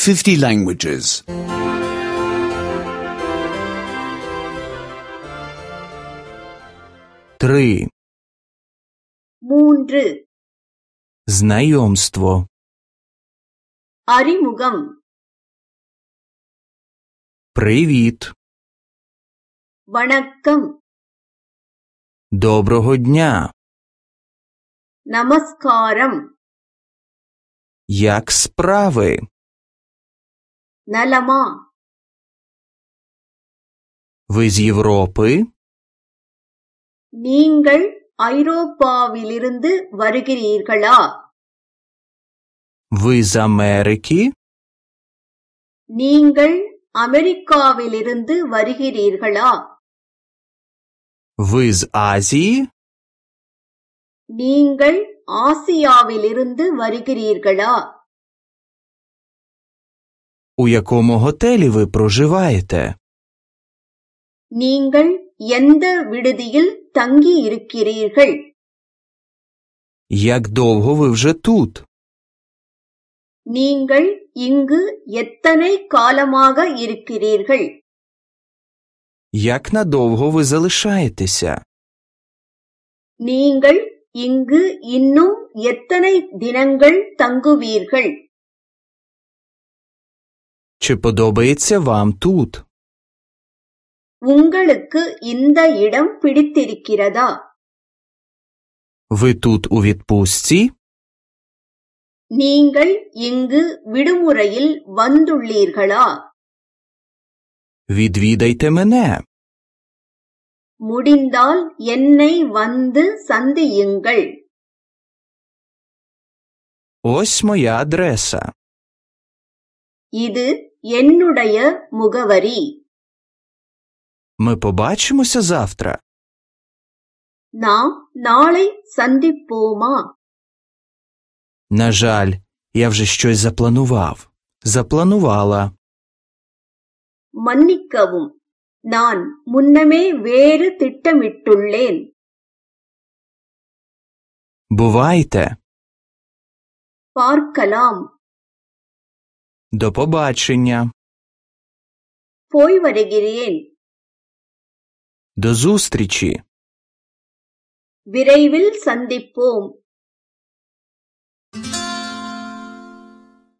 50 languages. 3. மூன்று. Знайомство. அறிமுகம். Привіт. வணக்கம். Доброго дня. நமஸ்காரம். Як справи? நலமா? Ви з Європи? நீங்கள் ஐரோப்பாவிலிருந்து வருகிறீர்களா? Ви з Америки? நீங்கள் அமெரிக்காவிலிருந்து வருகிறீர்களா? Ви з Азії? நீங்கள் ஆசியாவிலிருந்து வருகிறீர்களா? У якому готелі ви проживаєте? நீங்கள் எந்த விடுதியில் தங்கி இருக்கிறீர்கள்? Як довго ви вже тут? நீங்கள் இங்கு எத்தனை காலமாக இருக்கிறீர்கள்? Як надовго ви залишаєтеся? நீங்கள் இங்கு இன்னும் எத்தனை தினங்கள் தங்குவீர்கள்? Чи подобається вам тут? உங்களுக்கு இந்த இடம் பிடித்திருக்கிறதா? Ви тут у відпустці? நீங்கள் இங்கு விடுமுறையில் வந்துள்ளீர்களா? Відвідайте мене. முடிந்தால் என்னை வந்து சந்தியுங்கள். Ось моя адреса. இது என்னுடைய முகவரி. Ми побачимося завтра. நாம் நாளை சந்திப்போமா? На жаль, я вже щось запланував. Запланувала. மன்னிக்கவும், நான் முன்னமே வேறு திட்டமிட்டுள்ளேன். Бувайте. பார்க்கலாம். До побачення. போய் வருகிறேன். До зустрічі. விரைவில் சந்திப்போம்.